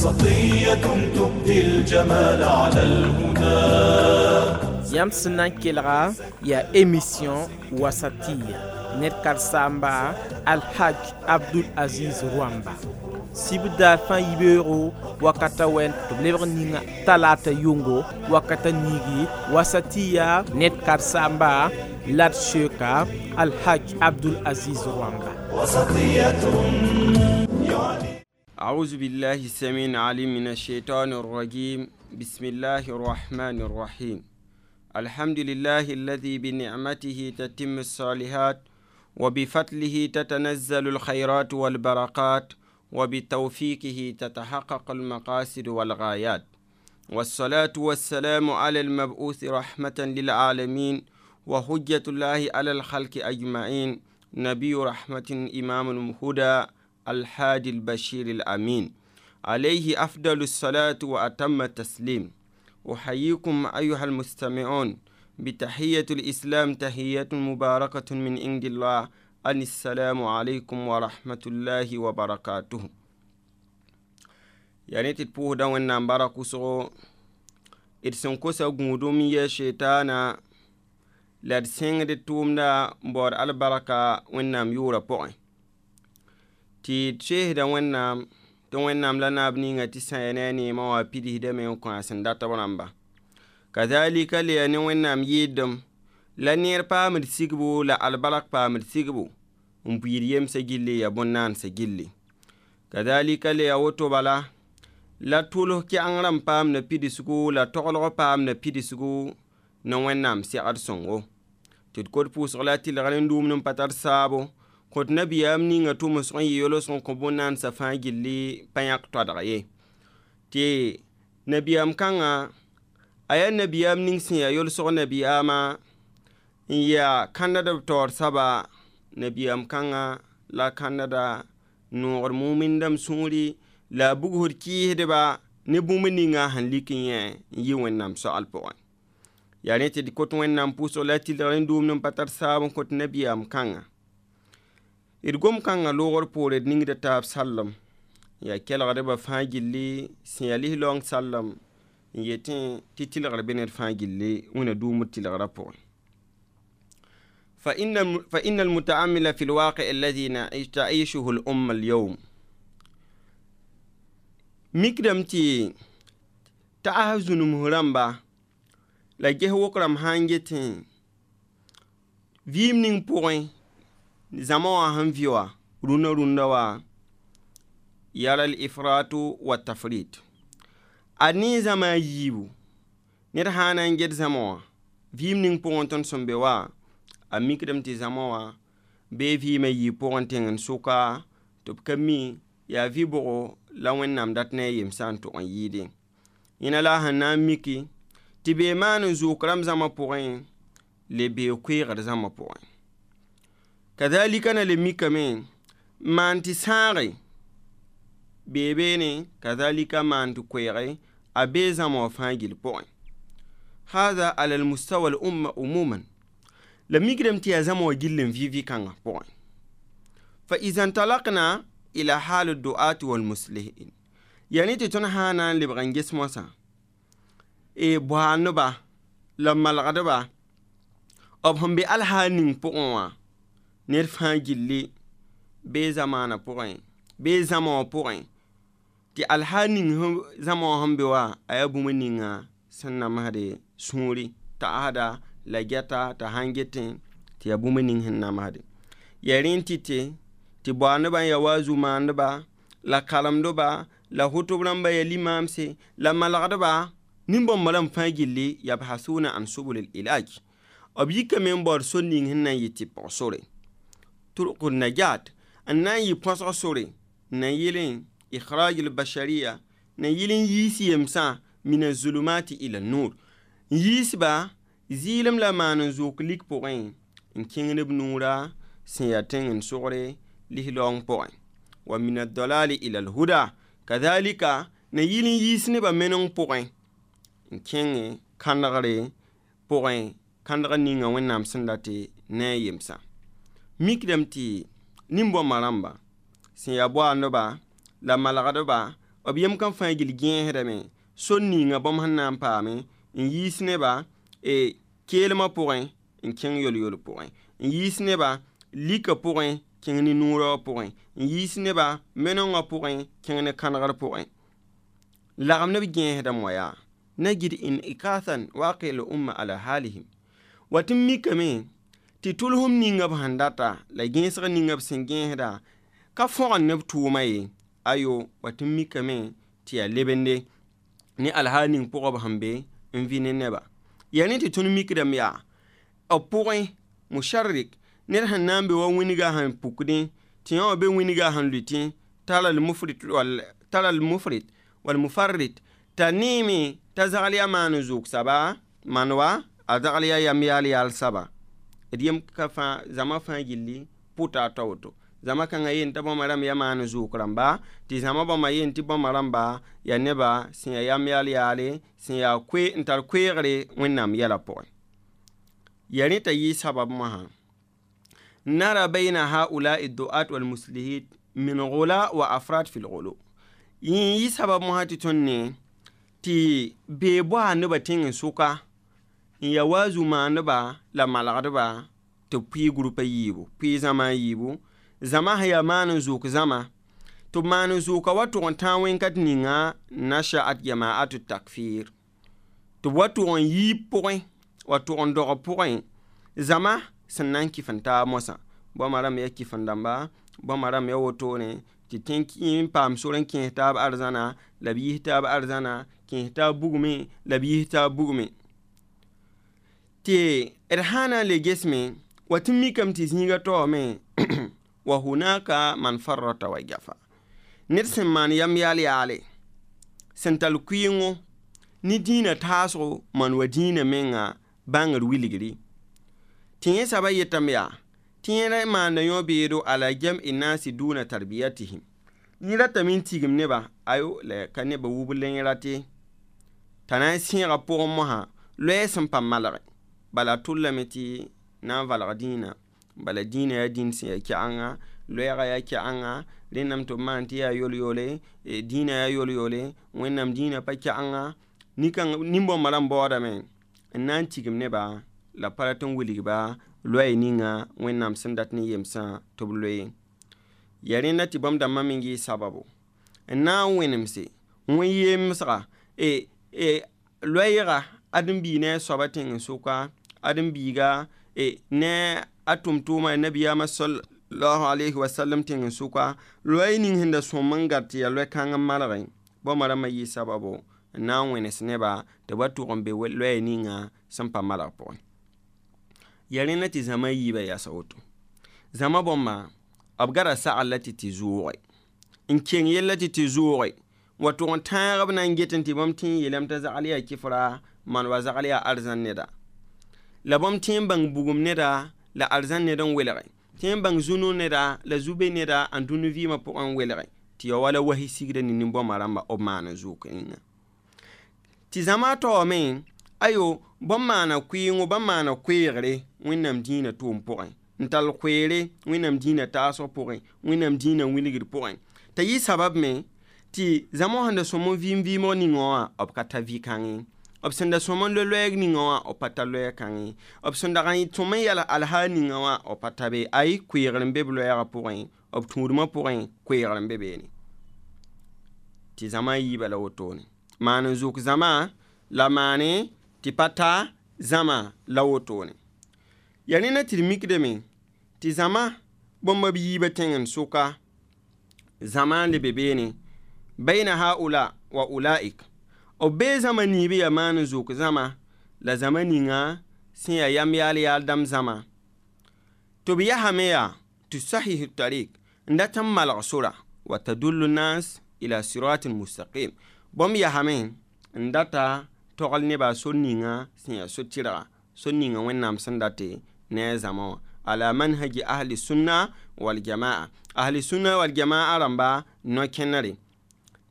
وسطية تبدي الجمال على الهدى. Yãmb sẽn na n kelga yaa émission Wasatiya ned karen-saamba Alhaj Abdul Aziz Rwamba sibdaar fãa yibeoogo wakata wɛn tɩ b lebg ninga talata yʋngo wakata niigi Wasatiya ned karen-saamba la d soeka Alhaj Abdul Aziz Rwamba. وسطية. أعوذ بالله السميع العليم من الشيطان الرجيم. بسم الله الرحمن الرحيم. الحمد لله الذي بنعمته تتم الصالحات، وبفضله تتنزل الخيرات والبركات، وبتوفيقه تتحقق المقاصد والغايات، والصلاة والسلام على المبعوث رحمة للعالمين وحجة الله على الخلق أجمعين، نبي رحمة، إمام الهدى، الحادي البشير الأمين، عليه أفضل الصلاة وأتم التسليم. أحييكم أيها المستمعون بتحية الإسلام، تحية مباركة من عند الله، أن السلام عليكم ورحمة الله وبركاته. Yani tɩ d pʋʋsda Wẽnnaam bark wʋsgo d sẽn kosa gũudum yɛ shetaana la d sẽngd tʋʋmda n baood albarka Wẽnnaam yʋʋrã pʋgẽ tɩ d seesda Wẽnnaam tɩ Wẽnnaam la naab ninga tɩ sã ya ne a neemã wã pidsdame n kõ a sẽn dat b rãmba. Kazalika le ya ne Wẽnnaam yɩɩdem la neer paamd sigbo la albark paamd sigbo n buiid yemsã gilli ya bõn-naansã gilli. Kazalika le ya woto bala la tʋls kɛgeng rãmb paamda pidsgo la toglg paamda pidsgo ne Wẽnnaam segd sõngo tɩ d kot pʋʋsg la tɩlgr n dũumd n pa tar saabo kõt nabiyaam ninga tʋmsg n yɩ yolsg n kõ bõn-naansã fãa gilli pa yãk toadg ye tɩ nabiyaam kãngã a yaa nabiyaam ning sẽn yaa yolsg nabiyaamã n yaa kãndd b taoor soaba nabiyaam kãngã la kãndda noogd mumindame sũuri la a bugsd kɩɩsdba ne bũmb ninga sẽn lik n yẽ n yɩ Wẽnnaam soaal pʋgẽ. Yaa rẽ tɩ d kot Wẽnnaam pʋʋsg la tɩlgr n dũumd n pa tar saab n kõt nabiyaam kãngã. D gom kãngã loogr poore d ningda taab sallem yaa kelgdbã fãa gilli sẽn yaa lislaoong sallem n yetẽ tɩ tɩlgr be ned fãa gilli wẽna dũumd tɩlgrã pʋgẽ. فإن المتأمل في الواقع الذي تعيشه الأمة اليوم mikdame tɩ ta'as zũnum rãmba la ges wok rãmb sã n getẽ vɩɩm ning pʋgẽ zãma wã sẽn vɩ wã rũnã rũndã wã yara al-ifratu wa tafrit a ne zãma a yiibu ned sã na n get zãma wã vɩɩm ning pʋgẽ tõnd sẽn be wã a mikdame tɩ zãma wã bee vɩɩmã yiib pʋgẽ tẽng n sʋka tɩ b ka mi yaa vɩ-bʋgo la Wẽnnaam dat ne a yemsã n tʋg n yɩɩdẽ yẽna la a sẽn na n miki tɩ bee maan n zʋʋk rãmb zãma pʋgẽ le bee koeegd zãma pʋgẽ. Kazalika na le mikame n maan tɩ sãage bee beene kazalika maan tɩ koeege a bee zãma wã fãa gill pʋgẽ. هذا على المستوى الأمة عموما la mikdame tɩ yaa zãma wã gill n vɩ vɩ-kãngã pʋgẽ. فإذا انطلقنا إلى حال الدعاة والمصلحين yaa tɩ tõnd sã na n lebg n ges moasã e boaaneba la malgdba b sẽn be alhaal ning pʋgẽ wã ned fãa gilli bee zamaanã pʋgẽ bee zãma wã pʋgẽ tɩ alhaal ning zãma wã sẽn be wã a yaa bũmb ninga sẽn namsde sũuri ta'asda la gɛta t'a sãn getẽ tɩ yaa bũmb ning sẽn namsde yaa rẽ n tɩ tɩ boaanebã n yaa waazu maandeba la karemdeba la hotb rãmba yaa limamse la malgdba nin-bãmba rãmb fãa gilli yabhasuna an subul ilaj b yikame n baood sor ning sẽn na n yɩ tɩ pʋg sore turuq najat n na n yɩ põsg sore n na n yɩlẽ ikhraj albasharia na n yɩl n yiis yemsã min azulumati ila nur n yiisba zɩɩlem la maan n zʋʋk lik pʋgẽ n kẽngd b nuura sẽn yaa tẽng n sogre lislaoong pʋgẽ wa min adalali ila alhuda kazalika na yɩl n yiis nebã meneng pʋgẽ n kẽngẽ kãndgre pʋgẽ kãndg ninga Wẽnnaam sẽn dat ne a yemsã mikdame tɩ nin-bõmba rãmba sẽn yaa boaandba la malgdba B yem kam fãa gill gẽesdame sor ninga bãmb sẽn na n paame n yiis neba keelmã pʋgẽ n kẽng yol-yol pʋgẽ n yiis neba lika pʋgẽ kẽng ne noorã wã pʋgẽ n yiis neba menengã pʋgẽ kẽng ne kãnegr pʋgẽ lagem ne b gẽesdame wã yaa نجد انعكاسا واقع الأمة على حالهم وتمي tɩ tʋlsem ninga b sẽn data la gẽesg ninga b sẽn gẽesda ka fõgen ne b tʋʋma ye ayo wa tɩ mikame tɩ yaa lebende ne alhaal ning pʋgã b sẽn be n vɩ ne neba yaa ne tɩ tõnd mikdame yaa b pʋgẽ musharrik ned sẽn na n be wa wĩnga sẽn pukdẽ tɩ yã wã be wĩnga sẽn lʋɩtẽ tara al-mufrit wal-mufarrit t'a neeme t'a zagl yaa maan n zʋʋg saba maan wa a zagl yaa yam yaal yaal saba d yem ka fãa zãma fãa gilli pʋta a ta woto zãma kãngã yen t'a bãmba rãmb yaa maan n zʋʋk rãmba tɩ zãma bãmba yen tɩ bãmba rãmba yaa neba sẽn yaa yam yaal yaale sẽn yaa n tar koeegre wẽnnaam yɛla pʋgẽ ya rẽ t'a yɩ sabab mosã nara bayna haulai duat walmuslihin min gula wa afrat fi lgulu yẽ yɩ sabab mosã tɩ tõnd ne tɩ bee boa nebã tẽng n sʋka n ya waazu maandeba la malgdba tɩ b pʋɩ groupa yiibu pʋɩ zãma a yiibu zãma sẽn yaa maan n zʋʋk zãma tɩ b maan n zʋʋka wa tʋg n tãag wẽn-kat ninga nashaat jamaatu takfir tɩ b wa tʋg n yiib pʋgẽ wa tʋg n dog pʋgẽ zãma sẽn na n kɩf n taab mosã bãmba rãmb yaa kɩf-n-dãmba bãmba rãmb yaa wotone tɩ tẽn n paam sor n kẽes taab arzãna la b yis taab arzãna kẽes taab bugmẽ la b yis taab bugmẽ tɩ d sã na n le gesme wa tɩ mikame tɩ zĩiga taoome wa hunaka man farrata wa jafa ned sẽn maan yam yaal yaale sẽn tall kʋɩɩngo ne dĩinã taasgo maan wa dĩinã menga bãngr wilgri tɩ yẽ saba yetame yaa tɩ yẽ maanda yõ-beedo ala jam'i nasi duna tarbiyatihim yẽ ratame n tigim neba ayo la ka nebã wub la yẽ rate t'a na n sẽega pʋgẽ mosã loɛɛ sẽn pa malge bala tʋllame tɩ na n valg dĩinã bala dĩinã yaa dĩin sẽn yaa kɛ'anga loɛɛga yaa kɛ'anga rẽndame tɩ b maan tɩ yaa yol-yole dĩinã yaa yol-yole wẽnnaam dĩinã pa kɛ'anga nin-bãmbã rãmb baoodame n na n tigim neba la pa rat n wilgba loɛɛ ninga wẽnnaam sẽn dat ne yemsã tɩ b loe ya rẽnda tɩ bãmb dãmbã me yɩ sababo n na n wẽnemse wẽ-yemsga loɛɛga ãdem-biig ne a soaba tẽng n sʋka ãdem-biiga ne a tʋm-tʋʋma nabiyaamã sallallahu alayhi wa sallam tẽng n sʋka loɛɛ ning sẽn da sõm n gar tɩ yaa loɛ-kãng n malgẽ bãmba rãmbã yɩ sababo n na n wẽnes neba tɩ ba tʋg n be loɛɛ ninga sẽn pa malg pʋgẽ ya rẽnda tɩ zãma yiibã yasa woto zãma bãmba b gara sagl la tɩ tɩ zʋʋge n keng yella tɩ tɩ zʋʋge wa tʋg n tãag b na n get n tɩ bãmb tẽ n yeelame t'a zagl yaa kɩfra maan wa zagl yaa arzãn neda la bãmb tẽ n bãng bugum neda la arzãn ned n welge tẽ n bãng zu-no neda la zu-be neda n dũni vɩɩmã pʋgẽ n welge tɩ ya wala wasi sigda ne nin-bãmba rãmba b maan n zʋʋk yĩnga tɩ zãma taoome ayo bãmb maana kʋɩɩngo bãmb maana koeegre wẽnnaam dĩinã tʋʋm pʋgẽ n tall koeere wẽnnaam dĩinã taasg pʋgẽ wẽnnaam dĩinã wilgr pʋgẽ t'a yɩ sabab me tɩ zãma sẽn da sõm n vɩɩm vɩɩmg ninga wã b ka ta vɩ-kãngẽ b sẽn da sõm n loe-loɛɛg ninga wã b pa ta loɛɛ-kãngẽ b sẽn dag n sõm n yɛl alhaal ninga wã b pa ta be ay koeegr n be b loɛɛgã pʋgẽ b tũudmã pʋgẽ koeegr n be beene tɩ zãma yiibã la wotone maan n zʋk zãma la maane tɩ pa ta zãma la wotone ya rẽnda tɩ d mikdame tɩ zãma bãmba b yiibã tẽng n sʋka zãma n lebe beene bayna haula wa ulaik b bee zãma niib yaa maan n zʋk zãma la zãma ninga sẽn yaa yam yaal yaal dãmb zãma tɩ b yasame yaa tusahihu tarik n dat n malg sora wa tadullu nas ila siratin mustaqim bãmb yasame n data togl nebã sor ninga sẽn yaa so-tɩrga sor ninga wẽnnaam sẽn date ne a zãma wã ala manhaji ahli sunna wal jamaa ahli sunna wal jamaa rãmba no-kẽnere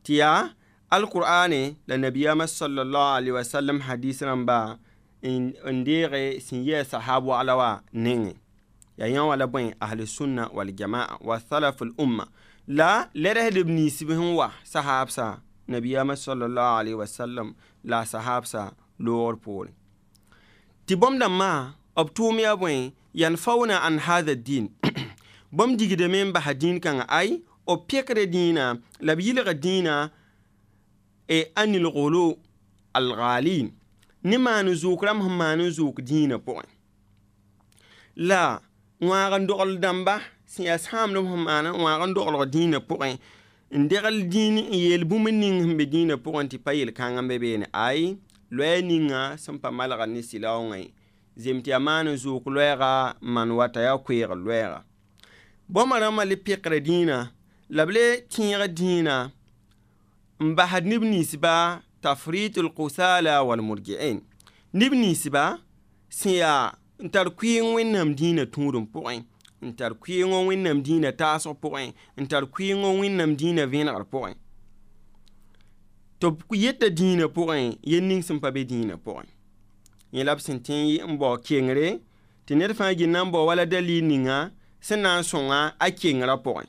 tɩ yaa alqur'ane la nabiyama sallallahu alaihi wasallam hadis rãmba n deege sẽn yɩ a sahab wagla wã nengẽ. Ya yã wã la bõe ahli sunna waljamaa wa salaf l umma la lergsdb ninsb sẽn wa sahaabsa nabiyaamã sallallahu alaihi wasallam la sahaabsa loogr poorẽ tɩ bõmb dãmbã b tʋʋm yaa bõe yanfauna an hadha din bõmb digdame n basa dĩin kãngã ay b pekda dĩinã la b yɩlga dĩinã anil gulu alghalin ne maan n zʋʋk rãmb sẽn maan n zʋʋk dĩinã pʋgẽ la wãag n dogl dãmba sẽn yaa sãamdb sẽn maan wãag n doglg dĩinã pʋgẽ n degl dĩin n yeel bũmb ning sẽn be dĩinã pʋgẽ tɩ pa yel-kãng n be beene ay loɛɛ ninga sẽn pa malgd ne sɩlaoongã ye zem tɩ yaa maan n zʋʋk loɛɛga n maan wa t'a yaa koeegr loɛɛga bõmba rãmbã le pekra dĩinã la b le tẽeg dĩinã n basd neb ninsba tafrit lqusala walmurji'in neb ninsba sẽn yaa n tar kʋɩɩng wẽnnaam dĩinã tũudem pʋgẽ n tar kʋɩɩngõ wẽnnaam dĩinã taasg pʋgẽ n tar kʋɩɩngõ wẽnnaam dĩinã vẽenegr pʋgẽ tɩ b yeta dĩinã pʋgẽ yel ning sẽn pa be dĩinã pʋgẽ yẽ la b sẽn tẽ n bao kengre tɩ ned fãa gil na n bao wala dalil ninga sẽn na n sõnga a kengrã pʋgẽ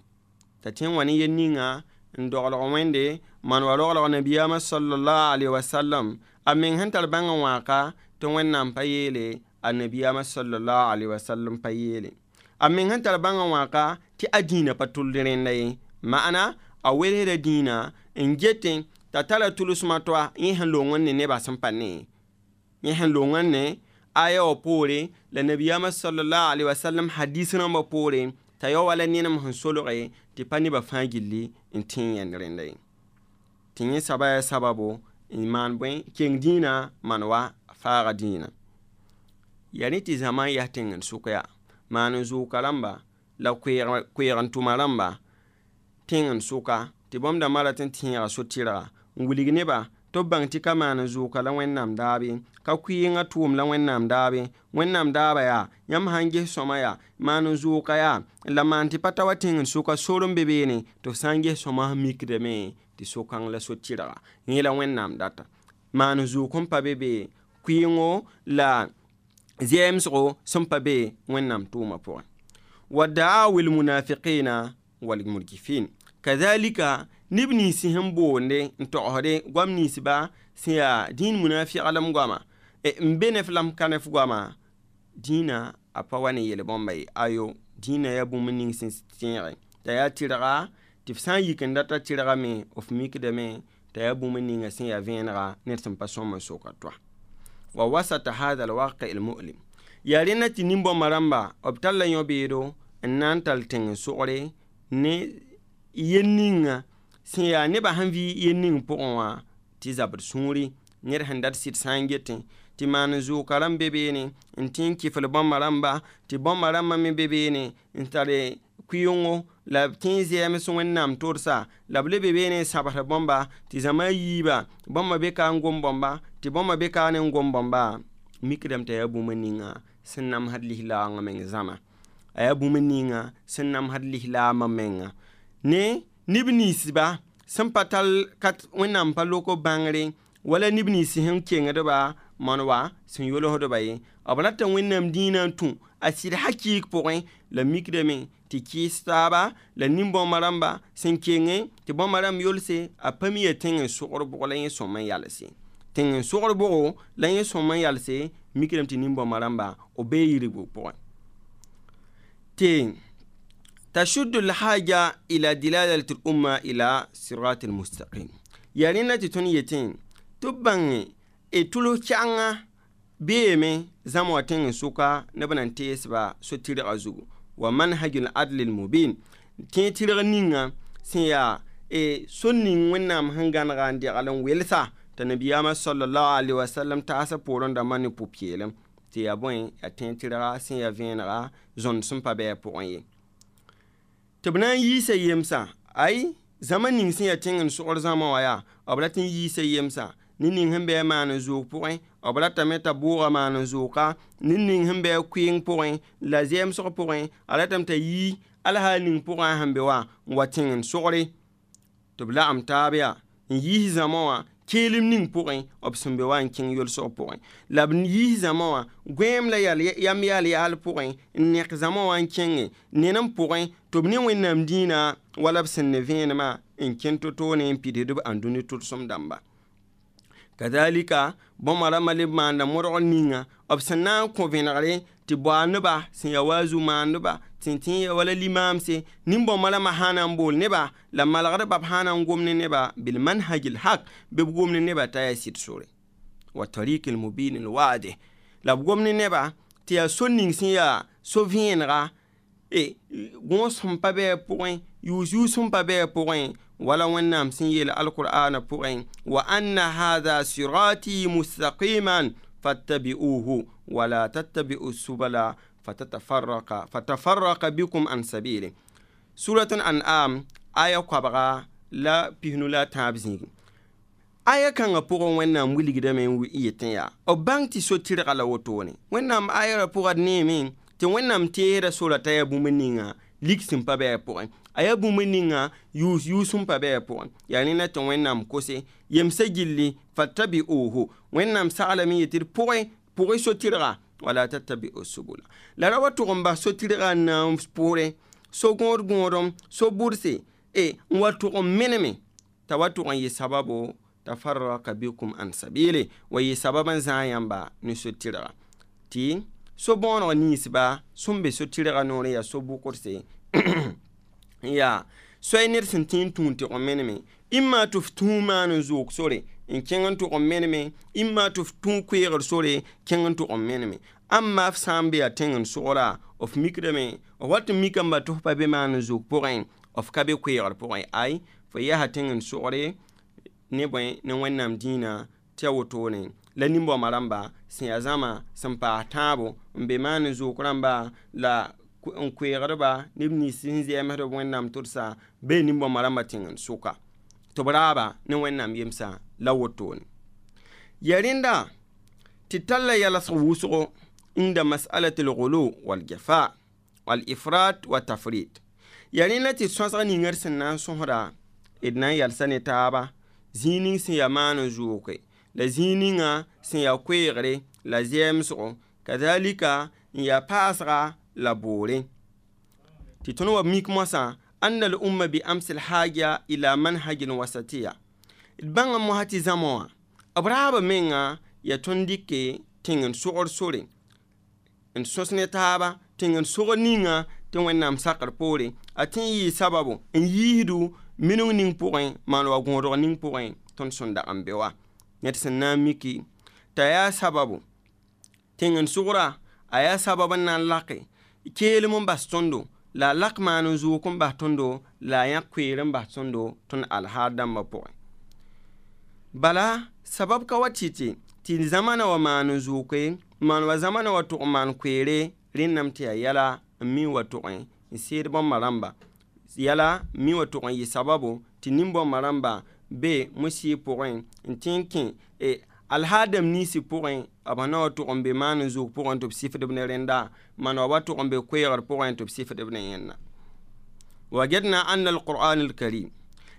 t'a tẽ n wa ne yel ninga n doglg wẽnde maan wa roglg nabiyaamã sallallahu alaihi wasallam a meng sẽn tar bãngã wãaka tɩ wẽnnaam pa yeele a nabiyaamã sallallahu alaihi wasallam pa yeele a meng sẽn tar bãngã wãaka tɩ a dĩinã pa tʋld rẽnda ye ma'ana a welsda dĩinã n getẽ t'a tara tʋlsmã toa yẽ sẽn loong n ne nebã sẽn pa ne yẽ sẽn loong n ne aya wã poore la nabiyaamã sallallahu alaihi wasallam hadis rãmbã poore t'a yao wala nenem sẽn solge tɩ pa nebã fãa gilli n tẽ yẽnd rẽnda ye tɩ yẽ saba yaa sababo n maan bõe keng dĩinã maan wa faaga dĩinã yaa rẽ tɩ zãma n yas tẽng n sʋk yaa maan n zʋʋka rãmba la koeeg n tʋma rãmba tẽng n sʋka tɩ bõmb dãmbã rat n tẽega so-tɩrga n wilg nebã tɩ b bãng tɩ ka maan n zʋʋka la wẽnnaam daabe ka kʋɩɩngã tʋʋm la wẽnnaam daabe wẽnnaam daaba yaa yãmb sã n ges sõma yaa maan n zʋʋka yaa la maan tɩ pa ta wa tẽng n sʋka sor n be beene tɩ f sã n ges sõma sẽn mikdame tɩ so-kãng la so-tɩrga yẽ la wẽnnaam data maan n zʋʋk n pa be be kʋɩɩngo la zɛɛmsgo sẽn pa be wẽnnaam tʋʋmã pʋgẽ wa da'awi lmunafiqina walmurjifin kadhalika neb nins sẽn boonde n togsde goam ninsba sẽn yaa dĩin munafiglem goama n be nef la m ka nef goama dĩinã a pa wa ne yel-bõmba ye ayo dĩinã yaa bũmb ning sẽn tẽege t'a yaa tɩrga tɩ f sã n yik n data tɩrgame f mikdame t'a yaa bũmb ninga sẽn yaa vẽenega ned sẽn pa sõm n soka toa wa wasata hadha alwaqi almu'lim yaa rẽnda tɩ nin-bõmba rãmba b talla yõ-beedo n na n tall tẽng n sogre ne yel ninga sẽn yaa nebã sẽn vɩ yel ning pʋgẽ wã tɩ zabd sũuri ned sẽn dat sɩd sã n getẽ tɩ maan n zʋʋka rãmb be beene n tẽ n kɩfl bãmba rãmba tɩ bãmba rãmbã me be beene n tare kʋɩɩngo la b tẽ zɛɛms wẽnnaam tʋrsa la b le be beene n sabsd bãmba tɩ zãma yiiba bãmba be ka n gom bãmba tɩ bãmba be ka ne n gom bãmba mikdame t'a yaa bũmb ninga sẽn namsd lislaangã meng zãma a yaa bũmb ninga sẽn namsd lislaamã menga ne neb ninsba sẽn pa tall kat wẽnnaam pa lok b bãngre wala neb nins sẽn kengdba maan wa sẽn yolsdba ye b rata wẽnnaam dĩinã n tũ a sɩd hakɩɩk pʋgẽ la mikdame tɩ kɩɩs taaba la nin-bõmba rãmba sẽn kenge tɩ bõmba rãmb yolse a pa mi yaa tẽng n sogr bʋg la yẽ sõm n yalse tẽng n sogr bʋgo la yẽ sõm n yalse mikdame tɩ nin-bõmba rãmba b bee yirgu pʋgẽ tɩ تشد الحاجة إلى دلالة الأمة إلى صراط المستقيم yaa rẽnda tɩ tõnd yetẽ tɩ b bãnge d tʋls kɛanga beeme zãma wã tẽng n sʋka neb na n teesba so-tɩrgã zugu wa manhaj al-adl al-mubin tẽ tɩrg ninga sẽn yaa sor ning wẽnnaam sẽn gãnega n degl n welsa t'a nabiyaamã sallallahu alaihi wasallam taasã poorẽ dãmbã ne pʋ-peelem tɩ yaa bõe yaa tẽ tɩrga sẽn yaa vẽenega zõnd sẽn pa bɩ a pʋgẽ ye tɩ b na n yiisa yemsã ay zãma ning sẽn yaa tẽng n sogr zãma wã yaa b rat n yiisa yemsã ne ning sẽn bɩ a maan n zʋʋg pʋgẽ b ratame t'a bʋʋga maan n zʋʋka ne ning sẽn bɩ a kʋɩɩng pʋgẽ la zɛɛmsg pʋgẽ a ratame t'a yi alhaal ning pʋgẽ a sẽn be wã n wa tẽng n sogre tɩ b lagem taab yaa n yiis zãma wã Keelem ning pʋgẽ b sẽn be wa n kẽng yolsg pʋgẽ la b yiis zãma wã gõeem la yam yaal yaal pʋgẽ n nek zãma wã n kẽnge ned n pʋgẽ tɩ b ne Wẽnnaam dĩinã wala b sẽn ne vẽenemã n kẽn to-toone n pidsd b ãndũni tʋlsem dãmba. Kazalika bõmba rãmbã leb maanda modgr ninga b sẽn na n kõ vẽnegre tɩ bao neba sẽn ya waazu maandeba sẽn tẽ ya wala limaamse nin-bõmba rãmbã sã na n bool neba la malgdba b sã na n gom ne neba bilmanhaj lhaq bɩ b gom ne neba t'a yaa sɩd sore wa tariq lmubin lwadih la b gom ne neba tɩ yaa so ning sẽn yaa so-vẽenega gõos sẽn pa bɩ a pʋgẽ yʋʋs-yʋʋs sẽn pa bɩ a pʋgẽ wala Wẽnnaam sẽn yeel alqur'ana pʋgẽ wa anna hadha sirati mustaqiman fattabi'uhu wala tattabi'u subala fatafarraqa bikum an sabili. Suratun An'am aya koabga la pisnu la tãab zĩig aya kãngã pʋgẽ Wẽnnaam wilgdame n yetẽ yaa b bãng tɩ so-tɩrga la wotone Wẽnnaam aya ra pʋga d neeme tɩ Wẽnnaam teesda sora t'a yaa bũmb ninga lik sẽn pa bɩ a pʋgẽ a yaa bũmb ninga yʋʋs-yʋʋs sẽn pa bɩ a pʋgẽ yaa rẽnda tɩ Wẽnnaam kose yemsã gilli fattabi'uhu Wẽnnaam saglame yetɩ d pʋgẽ so-tɩrga wala tattabi'u subula la ra wa tʋg n bas so-tɩrga n na n pʋʋre so-gõod gõodem so-bʋdse n wa tʋg n meneme t'a wa tʋg n yɩ sababo tafarraka bikum an sabili wa yɩ sabab n zãag yãmba ne so-tɩrga tɩ so-bõoneg ninsba sẽn be so-tɩrga noorẽ yaa so-bʋkdse n yaa soay ned sẽn tẽ n tũun tɩg n meneme ĩmma tɩ f tũu maan n zoog sore n kẽng n tʋg n meneme ĩmma tɩ f tũu koeegr sore kẽng n tʋg n meneme ãmba f sã n be yaa tẽng n sogra f mikdame f wat n mikame tɩ f pa be maan n zoog pʋgẽ f ka be koeegr pʋgẽ ay fo yaa tẽng n sogre ne bõe ne Wẽnnaam dĩinã tɩ ya wotone la nin-bõmba rãmba sẽn yaa zãma sẽn paas tãabo n be maan n zoog rãmba la n koeegdba neb nins sẽn zɛɛmsd b Wẽnnaam tʋdsa bee nin-bõmba rãmba tẽng n sʋka tɩ b raaba ne Wẽnnaam yemsã la wotone ya rẽnda tɩ talla yalsg wʋsgo inda mas'alat al-ghulu wal-jafa wal-ifrat wa tafrit ya rẽnda tɩ sõsg ninga d sẽn na n sõsda d na n yalsa ne taaba zĩig ning sẽn yaa maan n zʋʋke la zĩig ninga sẽn yaa koeegre la zɛɛmsgo kazalika n yaa paasga la boore tɩ tõnd wa mik moasã anna al umma bi amsi lhaja ila manhajin wasatiya d bãnga mosã tɩ zãma wã b raaba menga yaa tõnd dɩke tẽng n sogr sore n sõs ne taaba tẽng n sogr ninga tɩ Wẽnnaam sakr poore a tẽ n yɩɩ sababo n yiisdu minung ning pʋgẽ maan wa gõodg ning pʋgẽ tõnd sẽn dag n be wa ned sẽn na n miki t'a yaa sababu tẽng n sogra a yaa sabab n na n lake keelem n bas tõndo la a lak maan n zoog n bas tõndo la a yãk koeer n bas tõndo tõnd alhaar dãmbã pʋgẽ bala sabab ka wa tɩ tɩ zãmana wa maan n zooke maan wa zãmana wa tʋg n maan koeere rẽnname tɩ yaa yɛla n mi wa tʋgẽ n seed bãmba rãmba yɛla mi wa tʋg n yɩ sababo tɩ nin-bõmba rãmba be mosɩɩ pʋgẽ n tẽ n kẽ alhaadam ninsi pʋgẽ b na wa tʋg n be maan n zoog pʋgẽ tɩ b sifdb ne rẽnda maan wa wa tʋg n be koeegr pʋgẽ tɩ b sifdb ne yẽnna wajadna anna alquran alkarim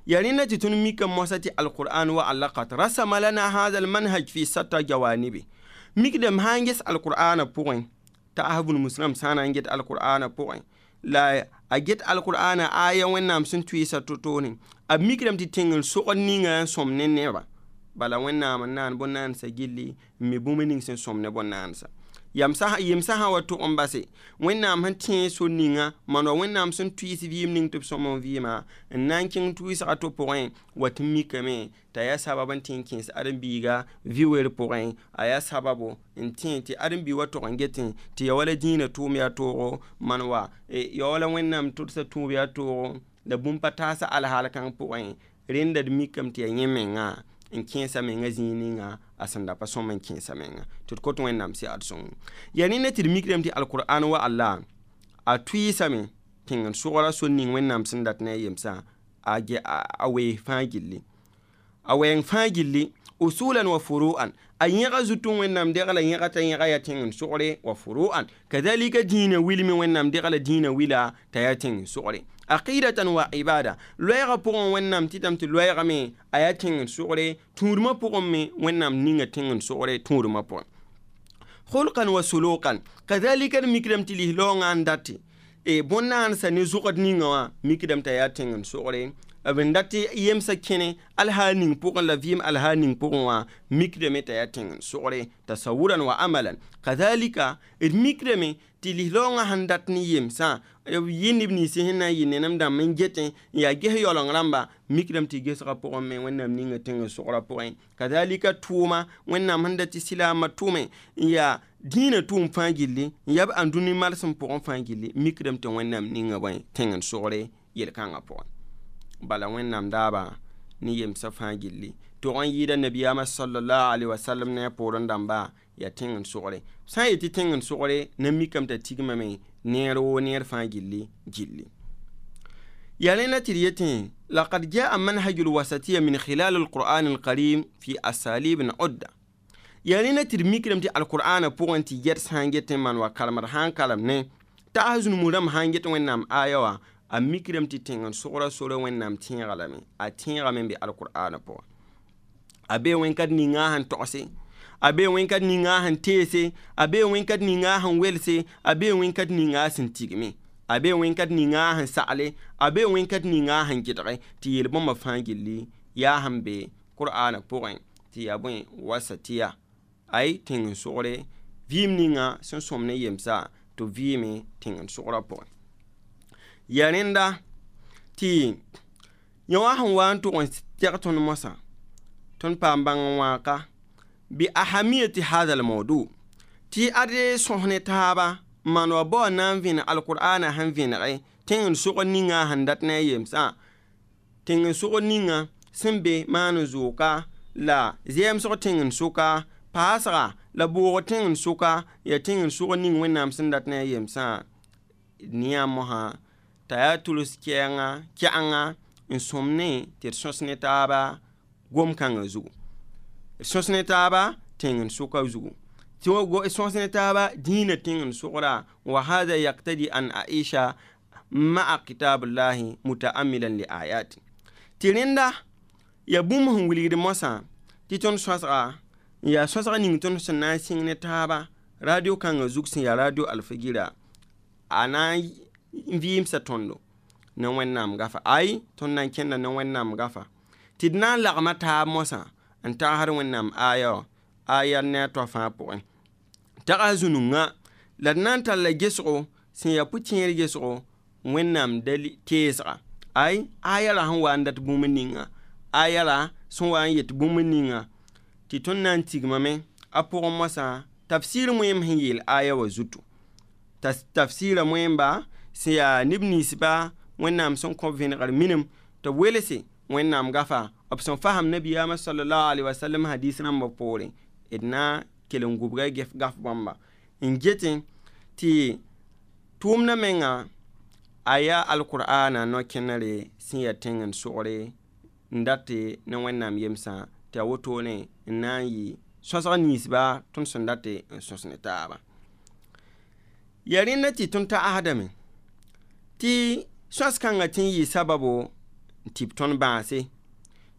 ya rẽnda tɩ tõnd mika moasã tɩ alquran wa alla qad rasama lana hadha almanhaj fi satta jawanibi mikdame sã n ges alqur'ana pʋgẽ t'a ahbun muslim sã na n get alqur'ana pʋgẽ la a get alqur'ana aya Wẽnnaam sẽn tʋɩɩsa to-toone a mikdame tɩ tẽng n sogd ninga n sõm ne neba bala Wẽnnaam n naan bõn-naandsã gilli n mi bũmb ning sẽn sõm ne bõn-naandsã yemsã sã wa tʋg n base Wẽnnaam sẽn tẽe so ninga maan wa Wẽnnaam sẽn tʋɩɩs vɩɩm ning tɩ b sõm n vɩɩmã n na n kẽng tʋɩɩsga to pʋgẽ wa tɩ mikame t'a yaa sabab n tẽ n kẽes ãdem-biiga vɩ-wer pʋgẽ a yaa sababo n tẽ tɩ ãdem-biig wa tʋg n getẽ tɩ ya wala dĩinã tʋʋm yaa toogo maan wa ya wala Wẽnnaam tʋdsa tũub yaa toogo la bũmb pa taasa alhaal kãng pʋgẽ rẽnda d mikame tɩ yaa yẽ menga n kẽesa menga zĩig ninga a sẽn da pa sõm n kẽesa menga tɩ d kot Wẽnnaam sɩ ad sõng yaa rẽnda tɩ d mikdame tɩ alqur'an wa alla a tʋɩɩsame tẽng n sogra sor ning Wẽnnaam sẽn dat ne a yemsã a wees fãa gilli a wɛɛng fãa gilli Usulan wa furu'an, a yẽga zutũ wẽnnaam degla yẽga t'a yẽga yaa tẽng n sogre. Wa furu'an kadhalika, dĩinã wilme wẽnnaam degla dĩinã wila t'a yaa tẽng n sogre. Aqidatan wa ibada, loɛɛgã pʋgẽ wẽnnaam tɩtame tɩ loɛɛgame a yaa tẽng n sogre, tũudmã pʋgẽ me wẽnnaam ninga tẽng n sogre tũudmã pʋgẽ. Khulqan wa sulukan kadhalika, d mikdame tɩ lislaoongã n date bõn-naandsã ne zʋgd ninga wã mikdame t'a yaa tẽng n sogre. B n dat tɩ yemsã kẽne alhaal ning pʋgẽ la vɩɩm alhaal ning pʋgẽ wã mikdame t'a yaa tẽng n sogre. Tasawuran wa amalan kadhalika, d mikdame tɩ lislaoongã sẽn dat ne yemsã b yɩ neb nins sẽn na n yɩ nenem dãmb n getẽ n yaa ges yaoleng rãmba, mikdame tɩ gesgã pʋgẽ me wẽnnaam ninga tẽng n sogrã pʋgẽ. Kadhalika tʋʋma, wẽnnaam sẽn dat tɩ silaamã tʋme n yaa dĩinã tʋʋm fãa gilli n yaa b ãndũni malsem pʋgẽ fãa gilli, mikdame tɩ wẽnnaam ninga bõe tẽng n sogre yel-kãngã pʋgẽ. Bala wẽnnaam daaba ne yemsã fãa gilli tog n yɩɩda nabiyaamã sallallahu alaihi wasallam ne a poorẽ dãmba yaa tẽng n sogre. Sã n yetɩ tẽng n sogre na mikame t'a tigmame neer woo neer fãa gilli gilli. Yaa rẽnda tɩ d yetẽ laqad jaa manhaju lwasatiya min khilal alquran alkarim fi asalibin udda. Yaa rẽnda tɩ d mikdame tɩ alqur'ana pʋgẽ tɩ yɛd sã n get n maan wa karemd sã n karem ne tags zũnum rãmb sã n get wẽnnaam aya wã a mikdame tɩ tẽng n sogra sora wẽnnaam tẽega lame a tẽegame n be alqur'ana pʋgẽ. A bee wẽn-kat ninga sẽn togse, a bee wẽn-kat ninga sẽn teese, a bee wẽn-kat ninga sẽn welse, a bee wẽn-kat ninga sẽn tigme, a bee wẽn-kat ninga sẽn sagle, a bee wẽn-kat ninga sẽn gɩdge tɩ yel-bõmbã fãa gilli yaa sẽn be qur'ana pʋgẽ tɩ yaa bõe wasatiya ay tẽng n sogre vɩɩm ninga sẽn sõm ne yemsa tɩ vɩɩme tẽng n sogrã pʋgẽ. Yaa rẽnda tɩ yõ wã sẽn wa n tʋg n tɛg tõnd moasã tõnd paam bãng n wãaka bi ahamiyati hada almawdu tɩ ade sõs ne taaba n maan wa bao na n vẽneg alqur'ana sẽn vẽnege tẽng n sogr ninga sẽn dat ne a yemsã tẽng n sogr ninga sẽn be maan n zooka la zɛɛmsg tẽng n soka paasga la boog tẽng n soka yaa tẽng n sogr ning wẽnnaam sẽn dat ne a yemsã nia mosã t'a yaa tuls kɛɛnga n sõm ne tɩ d sõs ne taaba gom-kãngã zugu, sõs ne taaba tẽng n soka zugu, tɩ sõs ne taaba dĩinã tẽng n sogra. Wa hada yaktadi an aisha ma'a kitabullahi mutaamilan li ayati tɩ rẽnda yaa bũmb sẽn wilgd moasã tɩ tõnd sõsga n yaa sõsg ning tõnd sẽn na n sɩng ne taaba radio kãngã zug sẽn yaa radio alfagira a na n vɩɩmsa tõndo ne wẽnnaam gafa ay tõnd na n kẽnda ne wẽnnaam gafa tɩ d na n lagma taab moasã n tagsd wẽnnaam aya wã aya ne a toa fãa pʋgẽ tags zũnungã la d na n talla gesgo sẽn yaa pʋ-tẽer gesgo wẽnnaam dali teesga ay aya ra sẽn wa n dat bũmb ninga aya ra sẽn wa n yet bũmb ninga tɩ tõnd na n tigmame a pʋgẽ moasã tafsir moeem sẽn yeel aya wã zutu. Tafsɩra moeemba sẽn yaa neb ninsba wẽnnaam sẽn kõ vẽnegr minim tɩ b welse wẽnnaam gafa b sẽn fasem nabiyaamã sallallahu alaihi wasallam hadis rãmbã poorẽ d na kell n gubga gaf bãmba n getẽ tɩ tʋʋmdã menga a yaa alqur'ana no-kẽnere sẽn yaa tẽng n sogre n date ne wẽnnaam yemsã tɩ a wotone n na n yɩ sõsg ninsba tõnd sẽn date n sõs ne taaba. Yaa rẽnda tɩ tõnd tagsdame tɩ sõs-kãngã tɩ n yɩ sababo n tɩ b tõnd bãase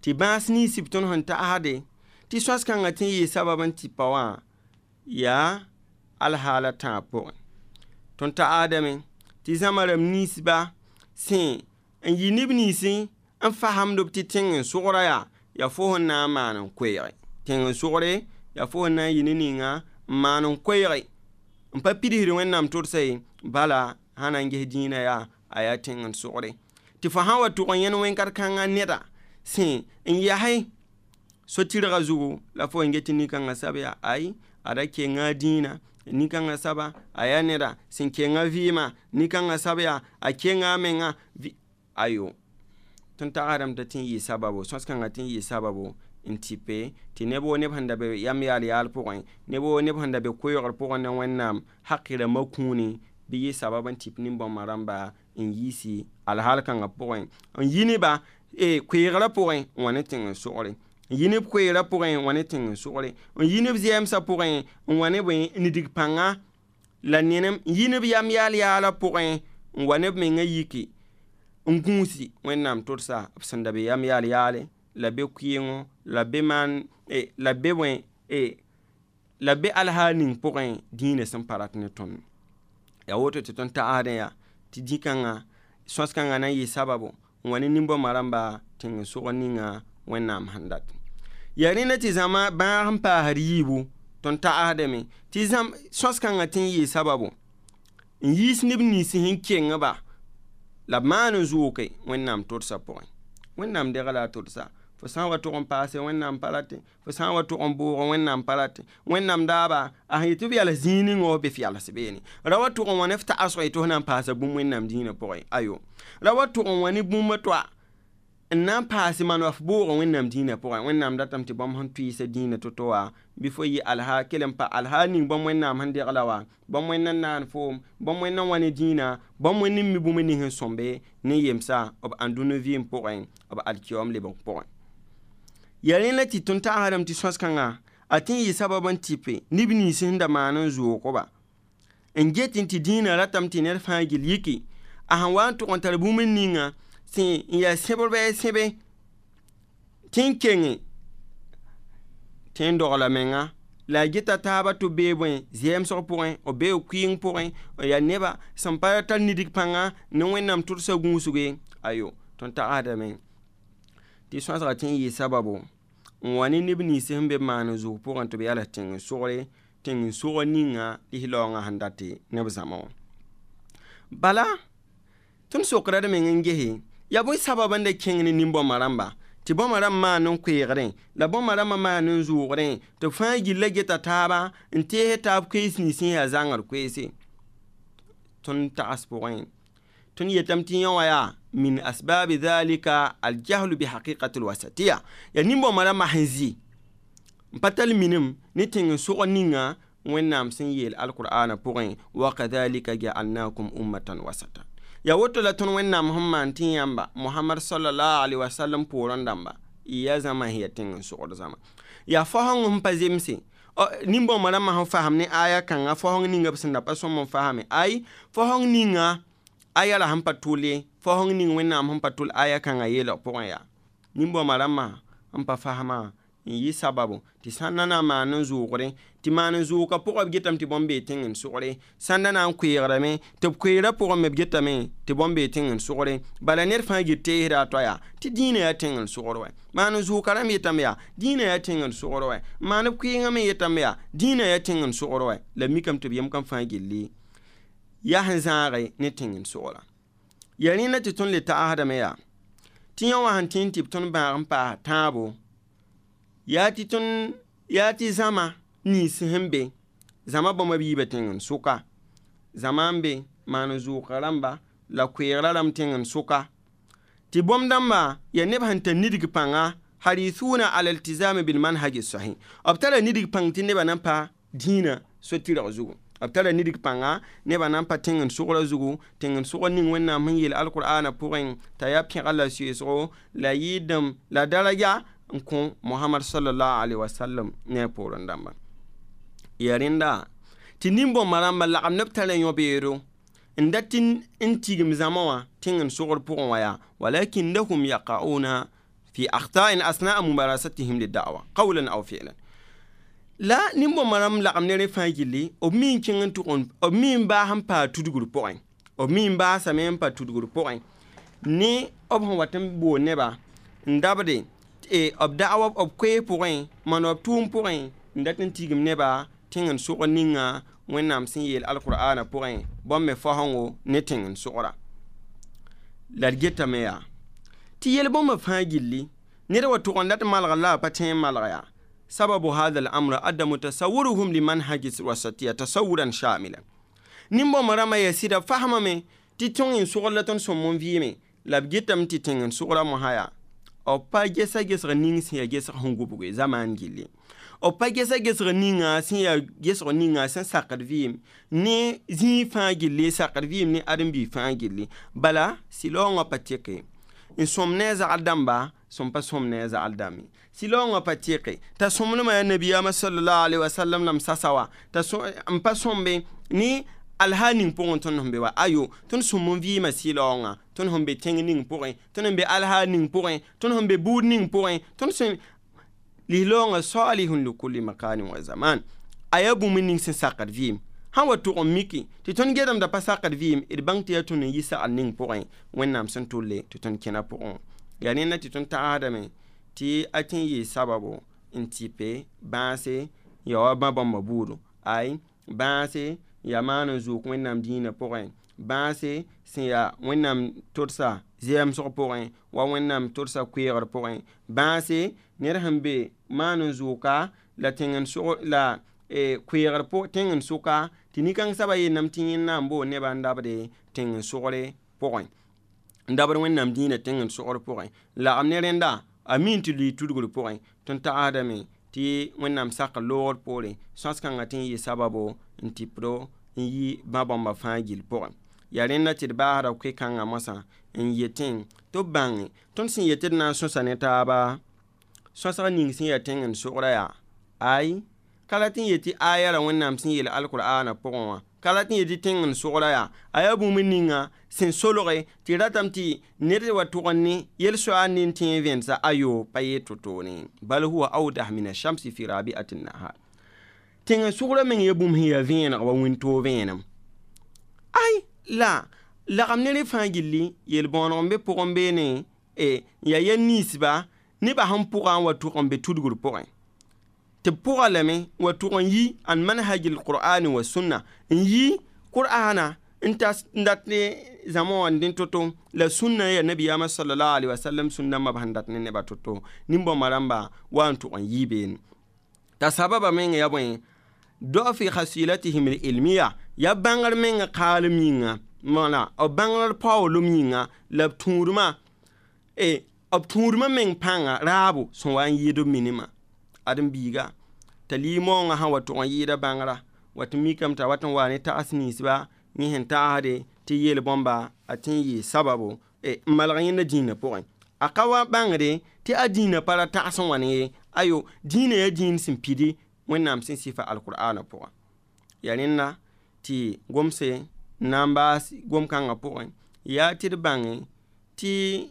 tɩ bãas nins b tõnd sẽn tagsde tɩ sõs-kãngã tɩ n yɩ sabab n tɩ pa wã yaa alhaala tãab pʋgẽ. Tõnd tagsdame tɩ zãma rãmb ninsba sẽn n yɩ neb ninsẽ n fasemd b tɩ tẽng n sogra yaa fo sẽn na n maan n koeege tẽng n sogre yaa fo sẽn na n yɩ ne ninga n maan n koeege n pa pidsd wẽnnaam tʋdsa ye bala sã na n ges dĩinã yaa a yaa tẽng n sogre tɩ fo sã n wa tʋg n yẽn wẽn-kat kãngã neda sẽn n yase so-tɩrgã zugu la fo n get tɩ nin-kãngã sab yaa ay a ra kenga dĩinã nin-kãngã saba a yaa neda sẽn kenga vɩɩmã nin-kãngã sab yaa a kenga a menga ayo tõnd tagsdame t'a tɩ n yɩ sababo sõs-kãngã tɩ n yɩ sababo n tɩpe tɩ neb woo neb sẽn da be yam yaal yaal pʋgẽ neb woo neb sẽn da be koɛɛgr pʋgẽ ne wẽnnaam haqi rãmbã kũuni bɩ yɩ sabab n tɩp nin-bãmbã rãmba n yiisi alhaal kãngã pʋgẽ n yi neba koeegrã pʋgẽ n wa ne tẽng n sogre. N yi neb koeerã pʋgẽ n wa ne tẽng-n-sogre, n yi neb zɛɛmsã pʋgẽ n wa ne bõe n dig pãnga la nenem, n yi neb yam yaal yaalã pʋgẽ n wa neb mengã yiki n gũusi Wẽnnaam tʋdsa b sẽn da be yam yaal yaale la be kʋɩɩngo la be maan la be bõe la be alhaal ning pʋgẽ dĩinã sẽn pa rat ne tõnd. Yaa woto tɩ tõnd tagsdẽ yaa tɩ dĩ-kãngã sõs-kãngã na n yɩ sababo n wa ne nin-bõmba rãmba tẽng-n-sogr ninga Wẽnnaam sẽn dat. Yaa rẽnda tɩ zãma bãag n paasd yiibu tõnd tagsdame tɩ sõs-kãngã tɩ n yɩ sababo n yiis neb nins sẽn kengba la b maan n zʋʋke Wẽnnaam tʋdsa pʋgẽ. Wẽnnaam degla a tʋdsa. Fo sã n wa tʋg n paase Wẽnnaam pa rate, fo sã n wa tʋg n bʋʋg Wẽnnaam pa rate. Wẽnnaam daaba a sẽn yetɩ b yals zĩig ning wã f be f yals beene. Ra wa tʋg n wa ne f tagsg tɩ f na n paasa bũmb Wẽnnaam dĩinã pʋgẽ. Ayo. Ra wa tʋg n wa ne bũmb toa n na n paas maan wa f bʋʋg Wẽnnaam dĩinã pʋgẽ. Wẽnnaam datame tɩ bãmb sẽn tʋɩɩsa dĩinã to-to wã bɩ fo yɩ alha kell n pa alha ning bãmb Wẽnnaam sẽn degla wã, bãmb Wẽnd n naan foom, bãmb Wẽnd n wa ne dĩinã, bãmb Wẽnd n mi bũmb ning sẽn sõmbe ne yemsa b ãndũnã vɩɩm pʋgẽ, b alkiyoom lebg pʋgẽ. Yaa rẽnd la tɩ tõnd tagsdame tɩ sõs-kãngã a tɩ n yɩ sabab n tɩpe neb nins sẽn da maan n zʋʋg-ba n get tɩ dĩinã ratame tɩ ned fãa gill yiki a sẽn wa n tʋg n tar bũmb ninga sẽn n yaa sẽbr bɩ a sẽbe tɩ n kenge tɩ n dogla menga la a geta taaba tɩ b bee bõe zɛɛmsg pʋgẽ, b bee kʋɩɩng pʋgẽ, n yaa neba sẽn pa tar nidg pãnga ne Wẽnnaam tʋdsa gũusge. Ayo, tõnd tagsdame tɩ sõsga tɩ n yɩ sababo n wa ne neb nins sẽn be maan n zʋʋg pʋgẽ tɩ b yals tẽng-n-sogre, tẽng-n-sogr ninga lislaoongã sẽn dat ne b zãma wã. Bala tõnd sokra d meng n gese yaa bõe sabab n da kẽng ne nin-bõmba rãmba tɩ bõmba rãmb maan n koeegdẽ la bõmba rãmbã maan n zʋʋgdẽ tɩ b fãa gilla geta taaba n tees taab koees nins sẽn yaa zãngr koeese. Tõnd tags pʋgẽ tõnd yetame tɩ yẽ wã yaa min asbabi dhalika aljahlu bihaqiqati alwasatiya. Yaa nin-bõmba rãmbã sẽn zĩ n pa tall minim ne tẽng-n-sogr ninga Wẽnnaam sẽn yeel alqur'ana pʋgẽ wa kadhalika ja'alnakum ummatan wasata. Yaa woto la tõnd Wẽnnaam sẽn maan tɩ yãmba Mohamad sallallahu alaihi wasallam poorẽ dãmba y yaa zãma sẽn yaa tẽng-n-sogr zãma. Yaa faosẽng sẽn pa zemse nin-bõmba rãmbã sẽn fasem ne aya kãngã faosẽng ninga b sẽn da pa sõm n fasame. Ay, faosẽng ninga aya la sẽn pa tʋl ye, faosẽng ning Wẽnnaam sẽn pa tʋl aya kãngã yeelg pʋgẽ yaa nin-bõmba rãmbã n pa fasmã n yɩ sababo tɩ sãn da na n maan n zʋʋgre tɩ maan n zʋʋgã pʋgã b getame tɩ bõmb bee tẽng-n-sogre, sãn da na n koeegdame tɩ b koeerã pʋgẽ me b getame tɩ bõmb bee tẽng-n-sogre. Bala ned fãa gɩ teesda a toa yaa tɩ dĩinã yaa tẽng-n-sogr wɛ. Maan n zʋʋka rãmb yetame yaa dĩinã yaa tẽng-n-sogr wɛ. Maan b kʋɩɩngã me yetame yaa dĩinã yaa tẽng-n-sogr wɛ. La mikame tɩ b yem kam fãa gilli yaa sẽn zãage ne tẽng-n-sogrã. Yaa rẽnda tɩ tõnd le tagsdame yaa tɩ yẽ wã sẽn tẽ n tɩ b tõnd bãag n paas tãabo yaa tɩ tõnd yaa tɩ zãma nins sẽn be zãma bãmba b yiibã tẽng-n-sʋka, zãma n be maan n zʋʋka rãmba la koeegrã rãmb tẽng-n-sʋka tɩ bõmb dãmba yaa neb sẽn tar nidg pãnga harithuna ala iltizami bilmanhaji sahih. B tara nidg pãng tɩ nebã na n pa dĩinã so-tɩrg zugu. B tara nidg pãnga nebã na n pa tẽng-n-sogrã zugu, tẽng-n-sogr ning Wẽnnaam sẽn yeel alqur'ana pʋgẽ t'a yaa pẽga la soeesgo la yɩɩdem la daraja n kõ Mohamad sallallahu alaihi wasallam ne a poorẽ dãmba. Yaa rẽnda tɩ nin-bõmba rãmba lagem ne b tara yõ-beedo n dat n tigim zãma wã tẽng-n-sogr pʋgẽ wã yaa walakinnahum yaqa'una fi akhta'in asna'a mumarasatihim lida'wa qawlan aw fi'lan. La nin-bõmba rãmb lagem ne rẽ fãa gilli b mi n kẽng n tʋg b mi n baas n paa tudgr pʋgẽ, b mi n baasame n pa tudgr pʋgẽ ne b sẽn wat n bool neba n dabde b da'wa b koees pʋgẽ maan b tʋʋm pʋgẽ n dat n tigim neba tẽng-n-sogr ninga Wẽnnaam sẽn yeel alqur'ana pʋgẽ bãmb me faosẽngo ne tẽng-n-sogra. La d getame yaa tɩ yel-bõmba fãa gilli ned wa tʋg n dat malgr la a pa tẽ n malg yaa sababu hadha al-amr adamu tasawuruhum limanhaji wasatiya tasawuran shamila. Nin-bõmba rãmbã yaa sɩda fasmame tɩ tõng-n-sogr la tõnd sõm n vɩɩme la b getame tɩ tẽng-n-sogrã mosã yaa b pa gesa gesg ning sẽn yaa gesg sẽn gubge zamaan gilli, b pa gesa gesg ninga sẽn yaa gesg ninga sẽn sakd vɩɩm ne zĩig fãa gilli, sakd vɩɩm ne ãdem-biig fãa gilli. Bala sɩlaoongã pa teke n sõm ne a zagl dãmba Sẽn pa sõm ne a zagl dãmbe sɩlaoongã pa tɩke t'a sõmblmã yaa nabiyaamã sallallahu alaihi wasallam la m sasa wa t'a n pa sõmbe ne alhaal ning pʋgẽ tõnd sẽn be wa ayo tõnd sõm n vɩɩmã sɩlaoongã tõnd sẽn be tẽng ning pʋgẽ tõnd sẽn be alhaal ning pʋgẽ tõnd sẽn be buud ning pʋgẽ tõnd sẽn lislaoongã salihun likulli makanin wa zaman a yaa bũmb ning sẽn sakd vɩɩm sã wa tʋg n miki tɩ tõnd gedemda pa sakd vɩɩm d bãng tɩ yaa tõnd n yi sagl ning pʋgẽ wẽnnaam sẽn tolle tɩ tõnd kẽna pʋgẽ yaa rẽnda tɩ tõnd tagsdame tɩ a tɩ n yɩ sababo n tɩpe bãase ya wa bã bãmba buudo ay bãase yaa maan n zook wẽnnaam dĩinã pʋgẽ bãase sẽn yaa wẽnnaam todsa zɛɛmsg pʋgẽ wa wẽnnaam todsa koeegr pʋgẽ bãase ned sẽn be maan n zooka la tẽng-n-sog la koeegr tẽng-n-sʋka tɩ nin-kãng soaba yeelame tɩ yẽnd na n boond nebã n dabde tẽng-n-sogre pʋgẽ n dabd wẽnnaam dĩinã tẽng-n-sogr pʋgẽ n lagem ne rẽnda a mi n tɩ lʋɩ tudgr pʋgẽ tõnd tagsdame tɩ wẽnnaam sakr loogr poore sõs-kãngã tɩ n yɩ sababo n tɩpdo n yi bã-bãmba fãa gill pʋgẽ yaa rẽnda tɩ d baasda koe-kãngã moasã n yetẽ tɩ b bãnge tõnd sẽn yet tɩ d na n sõsa ne taaba sõsg ning sẽn yaa tẽng-n-sogrã yaa ay ka rat n yet tɩ aya ra wẽnnaam sẽn yeel alqur'ana pʋgẽ wã ka rat n yet tɩ tẽng-n-sogrã yaa a yaa bũmb ninga sẽn solge tɩ ratame tɩ ned wa tʋg n ne yel-soaal ne n tẽ n vẽnesa ayo pa yeel to-toore bal huwa awdah min ashamsi fi rabi'ati nahar tẽng-n-sogrã meng yaa bũmb sẽn yaa vẽeneg wa wĩntoog vẽenem ay la lagem ne rẽ fãa gilli yel-bõoneg n be pʋgẽ beene n yaa yɛl ninsba nebã sẽn pʋga n wa tʋg n be tudgr pʋgẽ tɩ b pʋga lame wa tʋg n yi an manhaj alqur'ani wa sunna n yi qur'ana n dat ne zãma wã n to-to la sũnna yaa nabiyaamã sallallahu alaihi wasallam sũn-dãmbã b sẽn dat ne nebã to-to nin-bãmba rãmba wa n tʋg n yii beene t'a sababa meng yaa bõe dɔfi khasilatihim ilmiya yaa bãngr mengã kaalem yĩnga wala b bãngr paoolem yĩnga la b tũudmã b tũudmã meng pãnga raabo sẽn wa n yɩɩd b minimã ãdem-biiga t'a lɩ-maoongã sã wa tʋg n yɩɩda bãngra wat n mikame t'a wat n wa ne tags ninsba yẽ sẽn tagsde tɩ yeel bãmba a tɩ n yɩ sababo n malg yẽnda dĩinã pʋgẽ a ka wa bãngde tɩ a dĩinã pa ra tags n wa ne ye ayo dĩinã yaa dĩin sẽn pidi wẽnnaam sẽn sɩfa alqur'ana pʋgã yaa rẽnda tɩ gomse n na n baas gom-kãngã pʋgẽ yaa tɩ d bãnge tɩ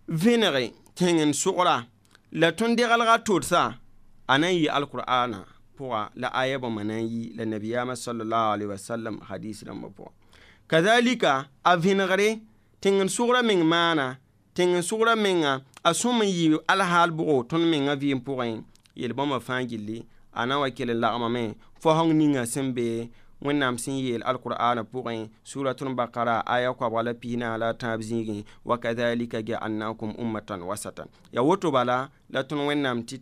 vẽnege tẽng-n-sogra la tõnd degelga todsa a na n yɩ alqur'ana pʋga la aya bãmba na n yi la nabiyaamã sallallahu alaihi wasallam hadis rãmbã pʋgã kazalika a vẽnegre tẽng-n-sogra meng maana tẽng-n-sogra menga a sõm n yɩ alhaal bʋgo tõnd mengã vɩɩm pʋgẽ yel-bãmba fãa gilli a na n wa kell n lagmame fosẽng ninga sẽn be wẽnnaam sẽn yeel alqur'ana pʋgẽ suratul bakara aya koabga la piisnaas la a tãab zĩigẽ wa kadhalika ja'alnakum ummatan wasatan ya woto bala la tõnd wẽnnaam tɩ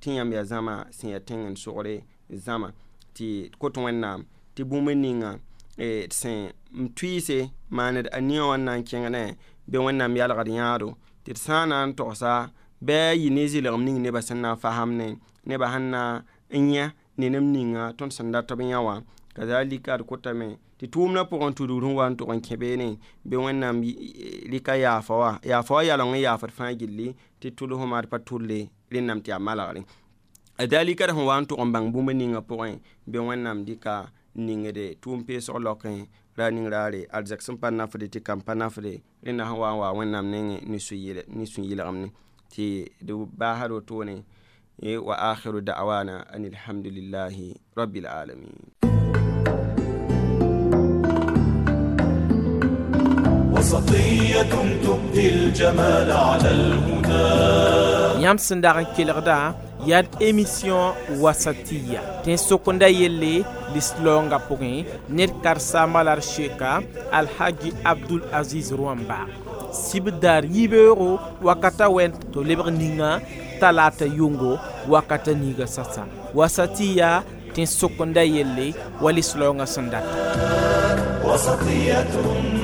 tɩ yãmb yaa zãma sẽn yaa tẽng-n-sogre zãma tɩ kot wẽnnaam tɩ bũmb ninga d sẽn n tʋɩɩse maaned a nia wã n na n kẽngdẽ bɩ wẽnnaam yalgd yãado tɩ d sã n na n togsa bɩ a yɩ ne zɩlgem ning nebã sẽn na n fasamne nebã sẽn na n yã ne neb ninga tõnd sẽn dat b yã wã kazalika d kotame tɩ tʋʋmdã pʋgẽ tudgr sẽn wa n tʋg n kẽ beene bɩ wẽnnaam rɩka yaafa wã yaafa wã yaleng n yaafd fãa gilli tɩ tʋlsma d pa tʋlle rẽnname tɩ yaa malgre dalika d sẽn wa n tʋg n bãng bũmb ninga pʋgẽ bɩ wẽnnaam dɩka n ningde tʋʋm peesg laokẽ ra ning raare arzɛk sẽn pa nafde tɩ kam pa nafde rẽnda sẽn wa n wa wẽnnaam nengẽ ne sũ-yɩlgemne tɩ d baasd wotone wa akhiru da'wana an alhamdulillahi rabbil alamin. وسطية تبدي الجمال على الهدى yãmb sẽn dag n kelgda yaa d émission wasatiya tẽn-sokenda yelle lislaoongã pʋgẽ ned karsaambã la d sheeka alhaji abdul aziz rũamba sibdaar yibeoogo wakata wɛn tɩ b lebg ninga talata yʋngo wakata niiga sasa wasatiya tẽn-sokenda yelle wa lislaoongã sẽn data وسطية.